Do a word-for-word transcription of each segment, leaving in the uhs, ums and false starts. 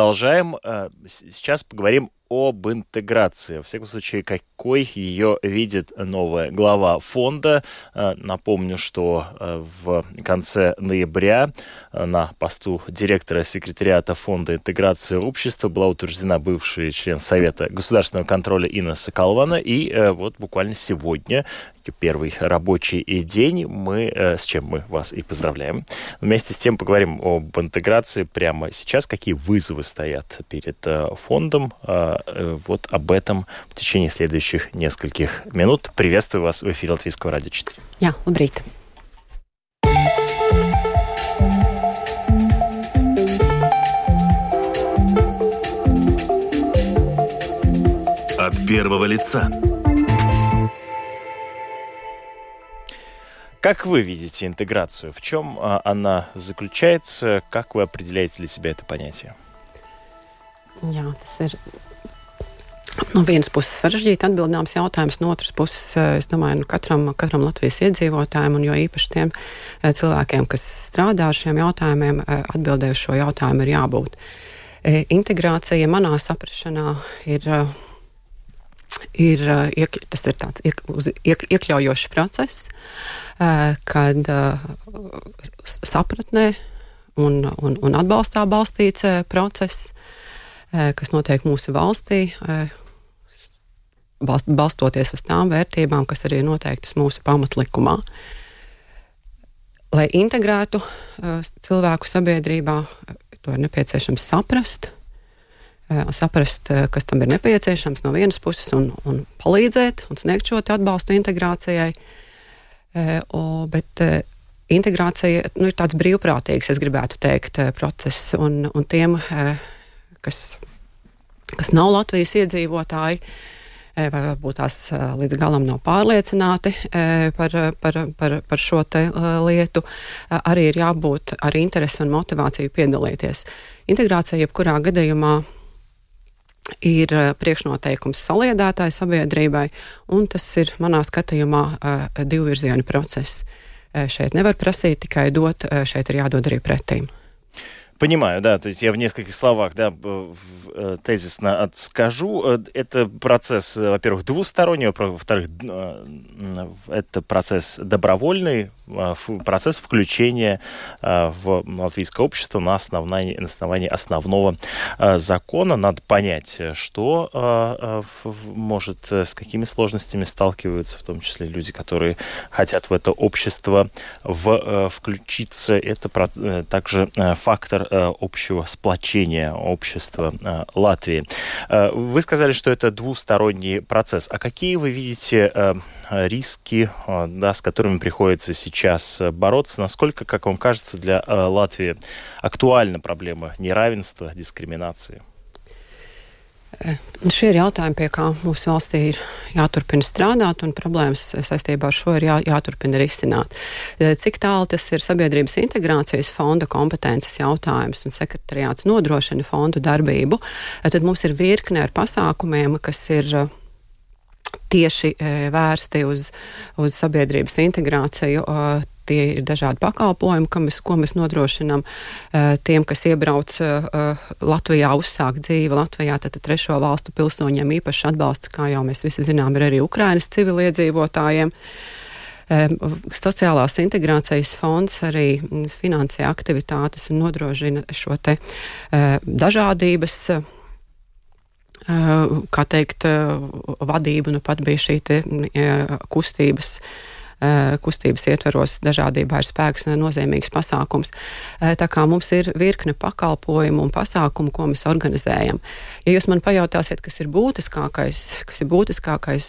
Продолжаем. Сейчас поговорим об интеграции. Во всяком случае, какой ее видит новая глава фонда. Напомню, что в конце ноября на посту директора секретариата фонда интеграции общества была утверждена бывший член Совета государственного контроля Инна Соколована. И вот буквально сегодня, первый рабочий день, мы, с чем мы вас и поздравляем. Вместе с тем поговорим об интеграции прямо сейчас. Какие вызовы стоят перед фондом? Вот об этом в течение следующих нескольких минут. Приветствую вас в эфире Латвийского радио четыре. Jā, labrīt. От первого лица. Как вы видите интеграцию? В чем она заключается? Как вы определяете для себя это понятие? Jā, tas ir no vienas puses sarežģīti atbildāms jautājums, no otras puses, es domāju, nu, katram, katram Latvijas iedzīvotājiem, un jo īpaši tiem cilvēkiem, kas strādā ar šiem jautājumiem, atbildēju šo jautājumu ir jābūt. Integrācija manā saprašanā ir, ir, iek, tas ir tāds iek, uz, iek, iekļaujošs process, kad sapratnē un, un, un atbalstā balstīts process, kas notiek mūsu valstī, balstoties uz tām vērtībām, kas arī ir noteiktas mūsu pamatlikumā. Lai integrētu cilvēku sabiedrībā, to ir nepieciešams saprast, saprast, kas tam ir nepieciešams no vienas puses un, un palīdzēt un sniegt šo atbalstu integrācijai, o, bet integrācija nu, ir tāds brīvprātīgs, es gribētu teikt, process, un, un tiem, kas, kas nav Latvijas iedzīvotāji, vai varbūt tās līdz galam nav pārliecināti par, par, par, par šo te lietu, arī ir jābūt ar interesi un motivāciju piedalīties. Integrācija jebkurā gadījumā ir priekšnoteikums saliedētāji sabiedrībai, un tas ir manā skatījumā divvirzienu process. Šeit nevar prasīt tikai dot, šeit ir jādod arī pretīm. Понимаю, да, то есть я в нескольких словах, да, тезисно скажу. Это процесс, во-первых, двусторонний, во-вторых, это процесс добровольный, процесс включения в латвийское общество на основании, на основании основного закона. Надо понять, что может, с какими сложностями сталкиваются, в том числе люди, которые хотят в это общество в, включиться. Это также фактор общего сплочения общества Латвии. Вы сказали, что это двусторонний процесс. А какие вы видите риски, да, с которыми приходится сейчас бороться? Насколько, как вам кажется, для Латвии актуальна проблема неравенства, дискриминации? Šie ir jautājumi, pie kā mūsu valstī ir jāturpina strādāt, un problēmas saistībā ar šo ir jā, jāturpina risināt. Cik tālu tas ir sabiedrības integrācijas fonda kompetences jautājums un sekretariāts nodrošina fondu darbību, tad mums ir virkne ar pasākumiem, kas ir tieši vērsti uz, uz sabiedrības integrāciju. Tie ir dažādi pakalpojumi, ko mēs, ko mēs nodrošinām tiem, kas iebrauc Latvijā, uzsāk dzīvi Latvijā, tad trešo valstu pilsoņiem īpašs atbalsts, kā jau mēs visi zinām, ir arī Ukrainas civiliedzīvotājiem. Sociālās integrācijas fonds arī finansē aktivitātes un nodrošina šo te dažādības, kā teikt, vadību, nu pat bija šī te kustības kustības ietveros dažādībā ir spēks nozīmīgs pasākums. Tā kā mums ir virkne pakalpojumu un pasākumu, ko mēs organizējam. Ja jūs man pajautāsiet, kas ir būtiskākais, kas ir būtiskākais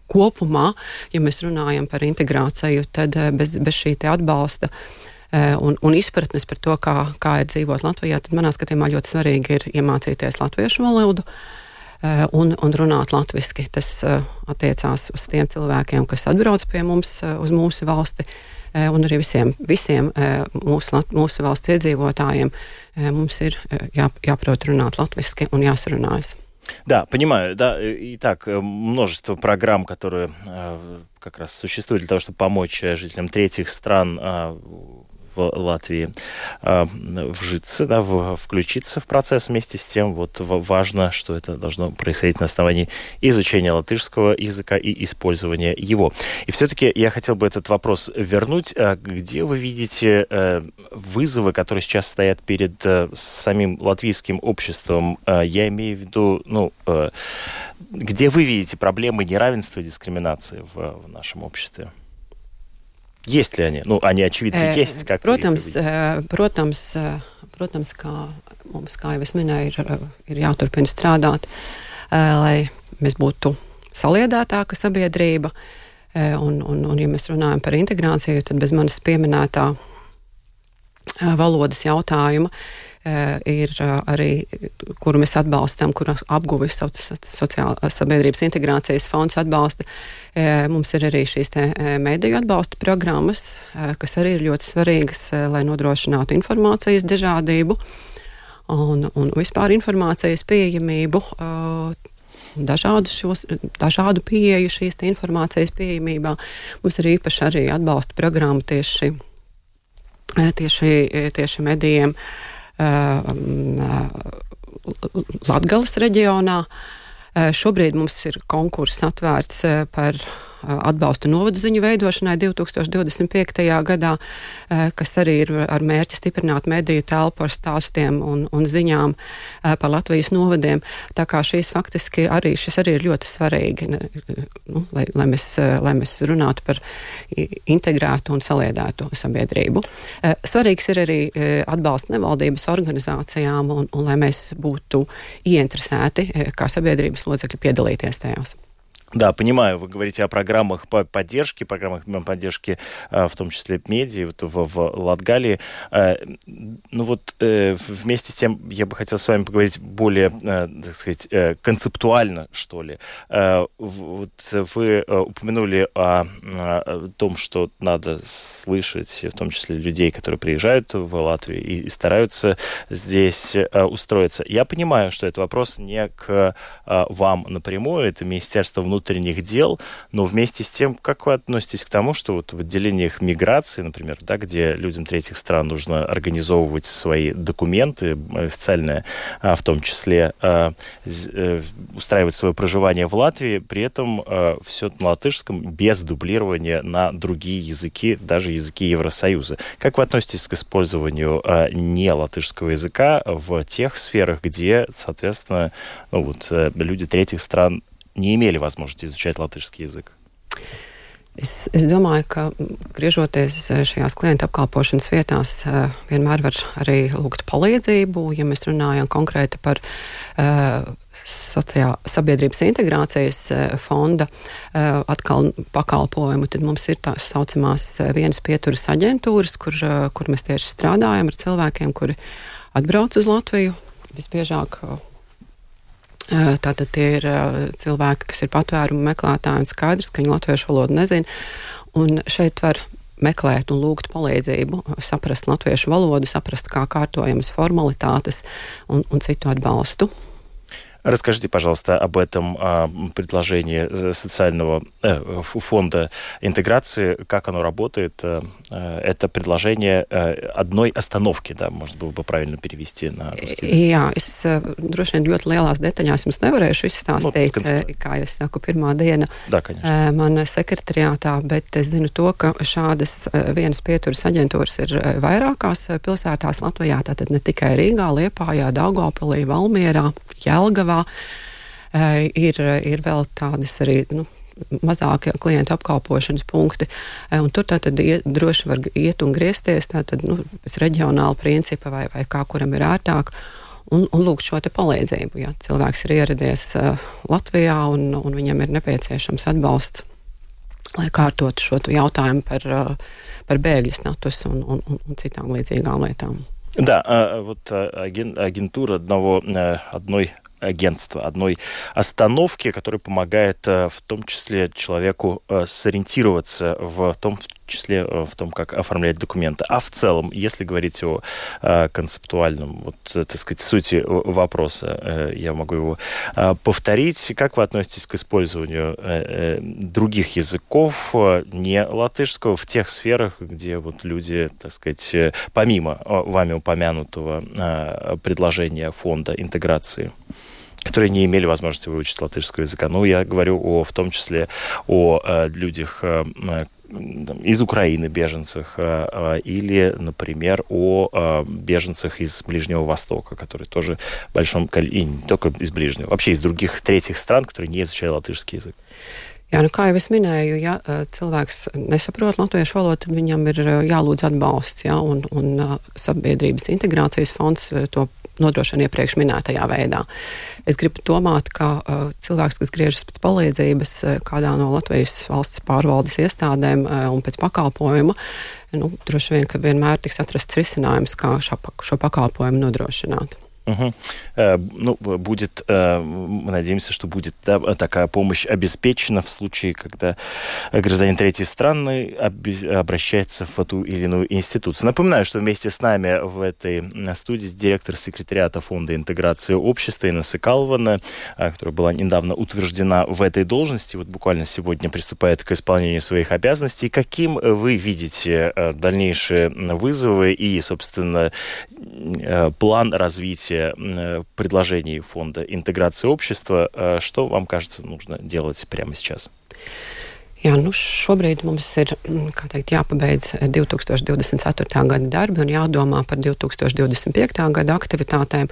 kopumā, ja mēs runājam par integrāciju, tad bez, bez šī te atbalsta un, un izpratnes par to, kā, kā ir dzīvot Latvijā, tad manā skatījumā ļoti svarīgi ir iemācīties latviešu valodu, Un, un runāt latviski. Tas uh, attiecās uz tiem cilvēkiem, kas atbrauc pie mums uh, uz mūsu valsti, uh, un arī visiem, visiem uh, mūsu, mūsu valsts iedzīvotājiem uh, mums ir uh, jā, jāprot runāt latviski un jāsarunājas. Да, понимаю, да, итак, множество программ, которые э, как раз существуют для того, чтобы помочь жителям третьих стран э, в Латвии вжиться, да, включиться в процесс. Вместе с тем вот важно, что это должно происходить на основании изучения латышского языка и использования его. И все-таки я хотел бы этот вопрос вернуть. Где вы видите вызовы, которые сейчас стоят перед самим латвийским обществом? Я имею в виду, ну, где вы видите проблемы неравенства и дискриминации в, в нашем обществе? Есть ли они? Nu, они, очевидно, e, есть. Как protams, protams, protams, kā mums, kā jau es minēju, ir, ir jāturpina strādāt, lai mēs būtu saliedētāka sabiedrība. Un, un, un, ja mēs runājam par integrāciju, tad bez manis pieminētā valodas jautājuma ir arī, kuru mēs atbalstam, kuru apguvis sociāla sabiedrības integrācijas fonds atbalsta. Mums ir arī šīs te mediju atbalsta programmas, kas arī ir ļoti svarīgas, lai nodrošinātu informācijas dažādību un, un vispār informācijas pieejamību, dažādu, šos, dažādu pieeju šīs te informācijas pieejamībā. Mums ir īpaši arī atbalsta programma tieši, tieši, tieši medijiem Latgales reģionā. Šobrīd mums ir konkurss atvērts par atbalstu novadu ziņu veidošanai divi tūkstoši divdesmit piektajā gadā, kas arī ir ar mērķi stiprināt mediju telpu ar stāstiem un, un ziņām par Latvijas novadiem. Tā kā šīs faktiski arī, šis arī ir ļoti svarīgi, nu, lai, lai, mēs, lai mēs runātu par integrētu un saliedētu sabiedrību. Svarīgs ir arī atbalsts nevaldības organizācijām un, un lai mēs būtu ieinteresēti kā sabiedrības locekļi piedalīties tajās. Да, понимаю, вы говорите о программах по поддержке, программах поддержки, в том числе медиа, вот в, в Латгалии. Ну вот вместе с тем я бы хотел с вами поговорить более, так сказать, концептуально, что ли. Вот вы упомянули о, о том, что надо слышать, в том числе людей, которые приезжают в Латвию и, и стараются здесь устроиться. Я понимаю, что это вопрос не к вам напрямую, это Министерство внутренних внутренних дел, но вместе с тем, как вы относитесь к тому, что вот в отделениях миграции, например, да, где людям третьих стран нужно организовывать свои документы официальные, в том числе устраивать свое проживание в Латвии, при этом все на латышском без дублирования на другие языки, даже языки Евросоюза. Как вы относитесь к использованию не латышского языка в тех сферах, где, соответственно, ну, вот, люди третьих стран не имели возможности изучать латышский язык? Es, es domāju, ka griežoties šajās klienta apkalpošanas vietās, vienmēr var arī lūgt palīdzību. Ja mēs runājam konkrēti par uh, sociā, sabiedrības integrācijas fonda uh, atkal pakalpojumu, tad mums ir tās saucamās vienas pieturas aģentūras, kur, uh, kur mēs tieši strādājam ar cilvēkiem, kuri atbrauc uz Latviju. Visbiežāk uh, Tātad tie ir cilvēki, kas ir patvērumu meklētāji un skaidrs, ka viņi latviešu valodu nezina. Un šeit var meklēt un lūgt palīdzību, saprast latviešu valodu, saprast, kā kārtojamas formalitātes un, un citu atbalstu. Расскажите, пожалуйста, об этом а, предложении социального э, фонда интеграции, как оно работает. Э, это предложение э, одной остановки, да, может было бы правильно перевести на русский язык. Jā, es droši vien ļoti lielās detaļās jums nevarēšu izstāstīt, nu, kā es saku, pirmā diena да, man sekretariātā, bet es zinu to, ka šādas vienas pieturas aģentūras ir vairākās pilsētās Latvijā, tātad ne tikai Rīgā, Liepājā, Daugavpilī, Valmierā, Jelgavā. Ir, ir vēl tādas arī nu, mazākie klientu apkalpošanas punkti, un tur tātad iet, droši var iet un griezties tātad, nu, pēc reģionāla principa vai, vai kā kuram ir ērtāk, un, un lūgt šo te palīdzību. Ja cilvēks ir ieradies uh, Latvijā un, un viņam ir nepieciešams atbalsts, lai kārtotu šo jautājumu par, uh, par bēgļu statusu un, un, un citām līdzīgām lietām. Да, вот агентура одного, одной агентства, одной остановки, которая помогает в том числе человеку сориентироваться в том числе в том, как оформлять документы. А в целом, если говорить о концептуальном, вот, так сказать, сути вопроса, я могу его повторить. Как вы относитесь к использованию других языков, не латышского, в тех сферах, где вот люди, так сказать, помимо вами упомянутого предложения фонда интеграции, которые не имели возможности выучить латышского языка? Ну, я говорю о, в том числе о э, людях э, из Украины, беженцах, э, или, например, о э, беженцах из Ближнего Востока, которые тоже в большом количестве, и не только из Ближнего, вообще из других третьих стран, которые не изучали латышский язык. Jā, nu, kā jau es minēju, ja cilvēks nesaprot latviešu valodu, tad viņam ir jālūdz atbalsts, ja, un, un sabiedrības integrācijas fonds to nodrošina iepriekš minētajā veidā. Es gribu domāt, ka uh, cilvēks, kas griežas pēc palīdzības uh, kādā no Latvijas valsts pārvaldes iestādēm uh, un pēc pakalpojuma, nu, droši vien, ka vienmēr tiks atrasts risinājums, kā šo, šo pakalpojumu nodrošināt. Угу. Ну, будет, мы надеемся, что будет, да, такая помощь обеспечена в случае, когда гражданин третьей страны обращается в ту или иную институцию. Напоминаю, что вместе с нами в этой студии директор секретариата Фонда интеграции общества Инна Сыкаловна, которая была недавно утверждена в этой должности, вот буквально сегодня приступает к исполнению своих обязанностей. Каким вы видите дальнейшие вызовы и, собственно, план развития предложений Фонда интеграции общества? Что вам кажется нужно делать прямо сейчас? Jā, nu šobrīd mums ir, kā teikt, jāpabeidz divi tūkstoši divdesmit ceturtā gada darbi un jādomā par divi tūkstoši divdesmit piektā gada aktivitātēm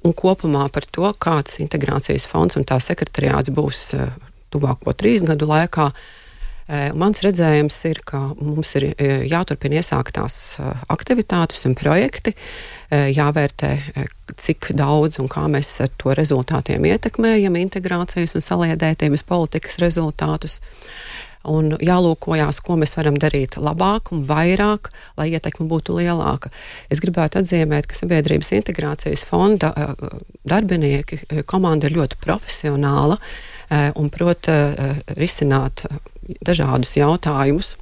un kopumā par to, kāds integrācijas fonds un tā sekretariāts būs tuvāko trīs gadu laikā. Mans redzējums ir, ka mums ir jāturpina iesāktās aktivitātes un projekti, jāvērtē, cik daudz un kā mēs ar to rezultātiem ietekmējam integrācijas un saliedētības politikas rezultātus. Un jālūkojās, ko mēs varam darīt labāk un vairāk, lai ietekme būtu lielāka. Es gribētu atzīmēt, ka Sabiedrības integrācijas fonda darbinieki, komanda ir ļoti profesionāla un prot risināt dažādus jautājumus,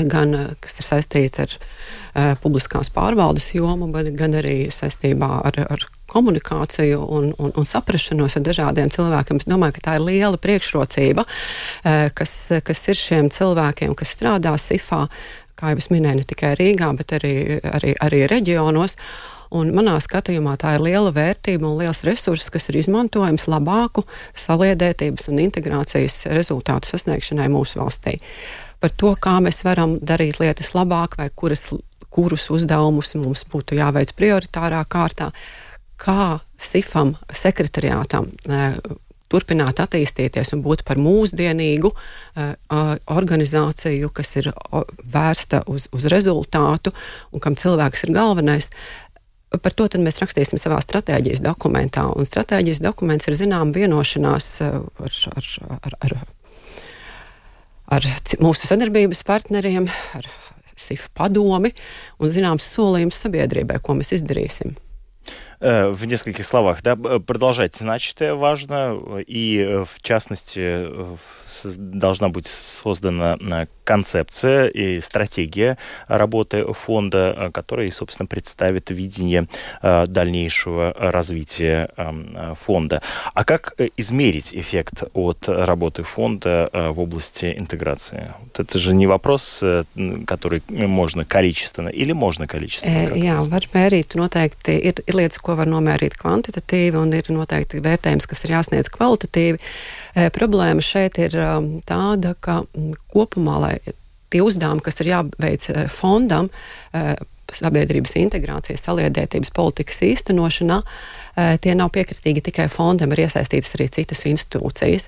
gan kas ir saistīti ar uh, publiskās pārvaldes jomu, bet gan arī saistībā ar, ar komunikāciju un, un, un saprašanos ar dažādiem cilvēkiem. Es domāju, ka tā ir liela priekšrocība, uh, kas, kas ir šiem cilvēkiem, kas strādā SIFā, kā jau es minēju, ne tikai Rīgā, bet arī, arī, arī reģionos. Un manā skatījumā tā ir liela vērtība un liels resurss, kas ir izmantojams labāku saliedētības un integrācijas rezultātu sasniegšanai mūsu valstī. Par to, kā mēs varam darīt lietas labāk vai kuras, kurus uzdevumus mums būtu jāveic prioritārā kārtā, kā SIFam, sekretariātam, turpināt attīstīties un būt par mūsdienīgu uh, organizāciju, kas ir vērsta uz, uz rezultātu un kam cilvēks ir galvenais. Par to tad mēs rakstīsim savā stratēģijas dokumentā. Un stratēģijas dokuments ir zinām vienošanās ar, ar, ar, ar, ar mūsu sadarbības partneriem, ar SIF padomi un zināms solījums sabiedrībai, ko mēs izdarīsim. В нескольких словах, да, продолжать начатое важно, и в частности должна быть создана концепция и стратегия работы фонда, которая, собственно, представит видение дальнейшего развития фонда. А как измерить эффект от работы фонда в области интеграции? Это же не вопрос, который можно количественно, или можно количественно? Jā, var mērīt noteikti. Ir, ir lietas, ko var nomērīt kvantitatīvi, un ir noteikti vērtējums, kas ir jāsniedz kvalitatīvi. E, problēma šeit ir um, tāda, ka m, kopumā, lai tie uzdevumi, kas ir jāveic fondam, e, sabiedrības integrācijas, saliedētības politikas īstenošanā, tie nav piekritīgi tikai fondam, ir iesaistītas arī citas institūcijas.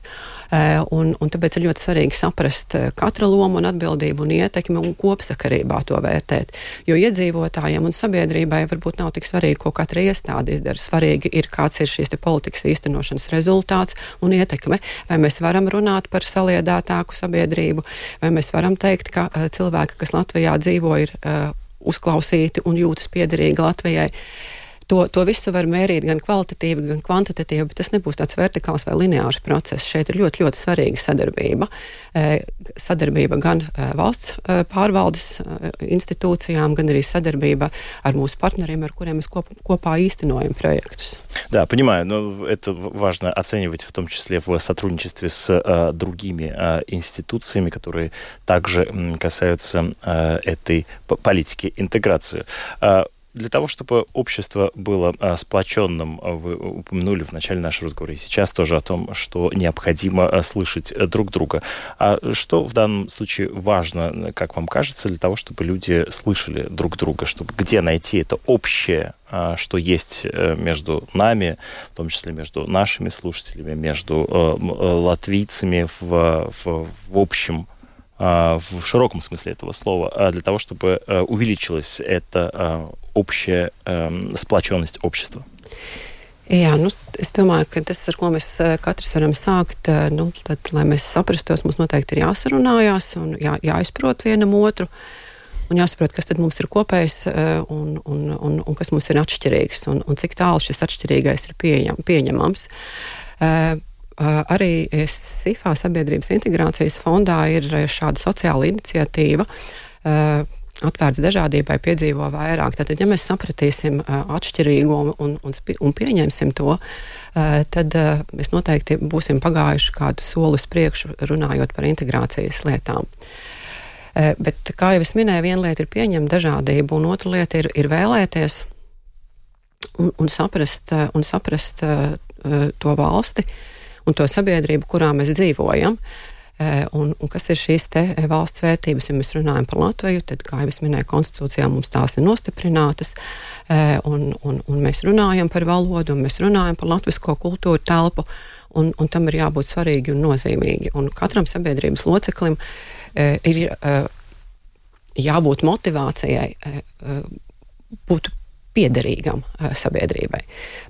Un, un tāpēc ir ļoti svarīgi saprast katra lomu un atbildību un ietekmi un kopsakarībā to vērtēt. Jo iedzīvotājiem un sabiedrībai varbūt nav tik svarīgi, ko katra iestāde izdara. Svarīgi ir, kāds ir šīs te politikas īstenošanas rezultāts un ietekme. Vai mēs varam runāt par saliedētāku sabiedrību, vai mēs varam teikt, ka cilvēki, kas Latvijā dzīvo, ir uzklausīti un jūtas piederīgi Latvijai. To, to visu var mērīt gan kvalitatīvi, gan kvantitatīvi, bet tas nebūs tāds vertikāls vai lineārs process. Šeit ir ļoti, ļoti svarīga sadarbība. Sadarbība gan valsts pārvaldes институциям, gan arī sadarbība ar mūsu партнерiem, ar kuriem mēs коп, kopā īstenojam проектus. Да, понимаю, но это важно оценивать в том числе в сотрудничестве с а, другими а, институциями, которые также м, касаются а, этой политики интеграции. А, Для того, чтобы общество было а, сплоченным, вы упомянули в начале нашего разговора, и сейчас тоже о том, что необходимо а, слышать друг друга. А что в данном случае важно, как вам кажется, для того, чтобы люди слышали друг друга, чтобы где найти это общее, а, что есть между нами, в том числе между нашими слушателями, между а, латвийцами в, в, в общем, в широком смысле этого слова, для того, чтобы увеличилась эта общая сплоченность общества? Jā, nu, es domāju, ka tas, ar ko mēs katrs varam sākt, nu, tad, lai mēs saprastos, mums noteikti ir jāsarunājās un jā, jāizprot vienam otru un jāsaprot, kas tad mums ir kopējs un, un, un, un kas mums ir atšķirīgs un, un cik tālu šis atšķirīgais ir pieņem, pieņemams. Arī SIFA sabiedrības integrācijas fondā ir šāda sociāla iniciatīva atvērts dažādībai, piedzīvo vairāk. Tātad, ja mēs sapratīsim atšķirīgo un, un, un pieņemsim to, tad mēs noteikti būsim pagājuši kādu soli uz priekšu runājot par integrācijas lietām. Bet, kā jau es minēju, viena lieta ir pieņemt dažādību, un otra lieta ir, ir vēlēties un, un saprast, un saprast to valsti, un to sabiedrību, kurā mēs dzīvojam, un, un kas ir šīs te valsts vērtības. Ja mēs runājam par Latviju, tad, kā jau es minēju, konstitūcijā mums tās ir nostiprinātas, un, un, un mēs runājam par valodu, un mēs runājam par latvisko kultūru telpu, un, un tam ir jābūt svarīgi un nozīmīgi. Un katram sabiedrības loceklim ir jābūt motivācijai būt piederīgam sabiedrībai.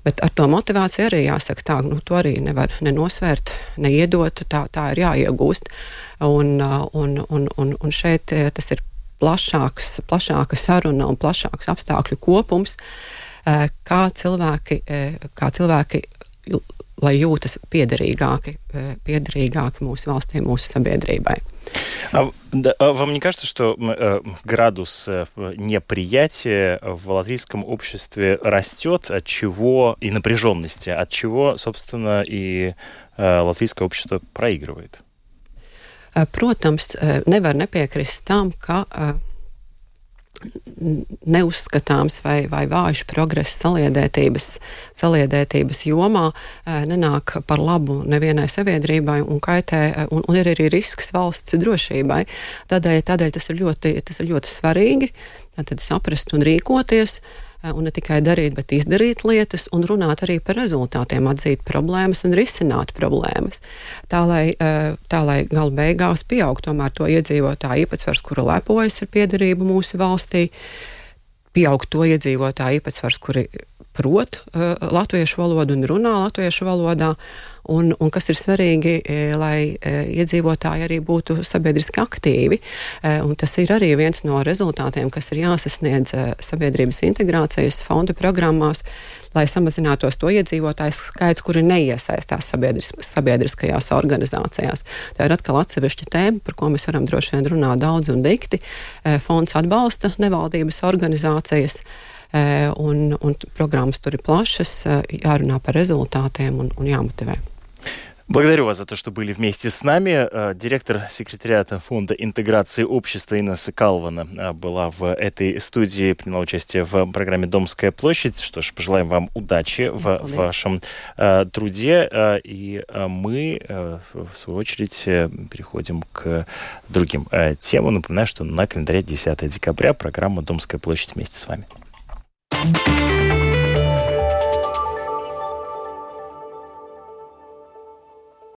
Bet ar to motivāciju arī jāsaka tā, nu, to arī nevar nenosvērt, neiedot, tā, tā ir jāiegūst. Un, un, un, un, un šeit tas ir plašāks, plašāka saruna un plašāks apstākļu kopums, kā cilvēki, kā cilvēki lai jūtas piederīgāki, piederīgāki mūsu valstī, mūsu sabiedrībai. А, да, а вам не кажется, что э, градус э, неприятия в латвийском обществе растет, от чего и напряженности, от чего, собственно, и э, латвийское общество проигрывает? Protams, nevar nepiekrist tam, ka neuzskatāms vai, vai vājš progress saliedētības, saliedētības jomā nenāk par labu nevienai sabiedrībai un kaitē, un, un ir arī risks valsts drošībai. Tādēļ, tādēļ tas ir ļoti, tas ir ļoti svarīgi, tad saprast un rīkoties, un ne tikai darīt, bet izdarīt lietas un runāt arī par rezultātiem, atzīt problēmas un risināt problēmas. Tā, lai, tā, lai gala beigās pieaug tomēr to iedzīvotāju īpatsvars, kura lepojas ar piederību mūsu valstī, pieaug to iedzīvotāju īpatsvars, kuri prot uh, latviešu valodu un runā latviešu valodā, un, un kas ir svarīgi, e, lai e, iedzīvotāji arī būtu sabiedriski aktīvi, e, un tas ir arī viens no rezultātiem, kas ir jāsasniedz e, sabiedrības integrācijas fonda programmās, lai samazinātos to iedzīvotāju skaits, kuri neiesaistās sabiedris, sabiedriskajās organizācijās. Tā ir atkal atsevišķa tēma, par ko mēs varam droši vien runāt daudz un dikti. E, fonds atbalsta nevaldības organizācijas, Un, un programmas tur ir plašas, jārunā par результатiem un, un jāмотивē. Благодарю вас за то, что были вместе с нами. Директор секретариата Фонда интеграции общества Инесса Калвана была в этой студии, приняла участие в программе «Домская площадь». Что ж, пожелаем вам удачи в Удачи. вашем э, труде. Э, и э, мы, э, в свою очередь, э, переходим к другим э, темам. Напоминаю, что на календаре десятое декабря программа «Домская площадь» вместе с вами.